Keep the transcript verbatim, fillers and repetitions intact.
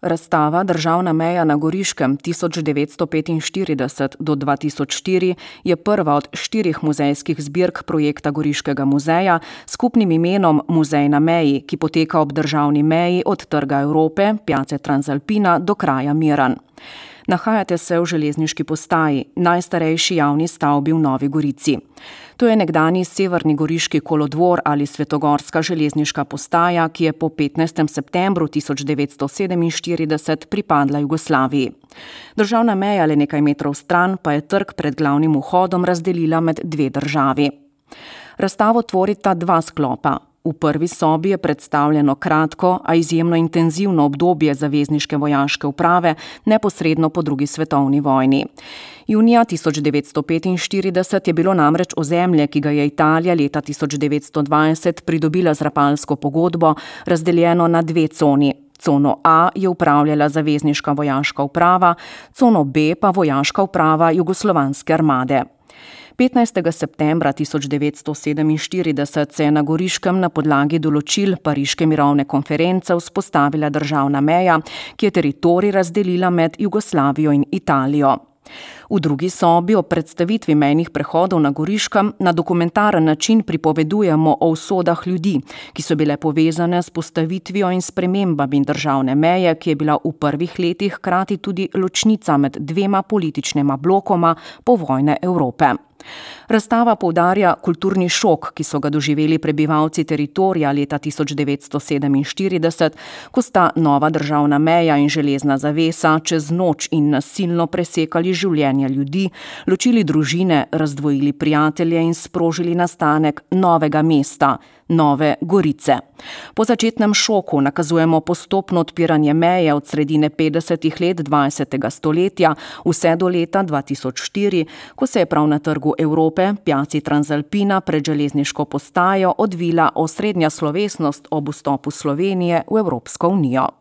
Razstava Državna meja na Goriškem tisoč devetsto petinštirideset do dva tisoč štiri je prva od štirih muzejskih zbirk projekta Goriškega muzeja s skupnim imenom Muzej na meji, ki poteka ob državni meji od Trga Evrope, Piace Transalpina do kraja Miran. Nahajate se v železniški postaji, najstarejši javni stavbi v Novi Gorici. To je nekdanji severni goriški kolodvor ali svetogorska železniška postaja, ki je po petnajstem septembru tisoč devetsto sedeminštirideset pripadla Jugoslaviji. Državna meja le nekaj metrov stran pa je trg pred glavnim vhodom razdelila med dve državi. Razstavo tvorita dva sklopa. V prvi sobi je predstavljeno kratko, a izjemno intenzivno obdobje zavezniške vojaške uprave neposredno po drugi svetovni vojni. Junija tisoč devetsto petinštirideset je bilo namreč ozemlje, ki ga je Italija leta tisoč devetsto dvajset pridobila z Rapalsko pogodbo, razdeljeno na dve coni. Cono A je upravljala zavezniška vojaška uprava, cono B pa vojaška uprava Jugoslovanske armade. petnajstega septembra tisoč devetsto sedeminštirideset se je na Goriškem na podlagi določil Pariške mirovne konference vzpostavila državna meja, ki je teritorij razdelila med Jugoslavijo in Italijo. V drugi sobi o predstavitvi mejnih prehodov na Goriškem na dokumentaren način pripovedujemo o usodah ljudi, ki so bile povezane s postavitvijo in spremembami državne meje, ki je bila v prvih letih hkrati tudi ločnica med dvema političnima blokoma povojne Evrope. Razstava poudarja kulturni šok, ki so ga doživeli prebivalci teritorija leta tisoč devetsto sedeminštirideset, ko sta nova državna meja in železna zavesa čez noč in nasilno presekali življenja ljudi, ločili družine, razdvojili prijatelje in sprožili nastanek novega mesta, Nove Gorice. Po začetnem šoku nakazujemo postopno odpiranje meje od sredine petdesetih let dvajsetega stoletja vse do leta dva tisoč štiri, ko se je prav na Trgu Evrope, Piaci Transalpina pred železniško postajo odvila osrednja slovesnost ob vstopu Slovenije v Evropsko unijo.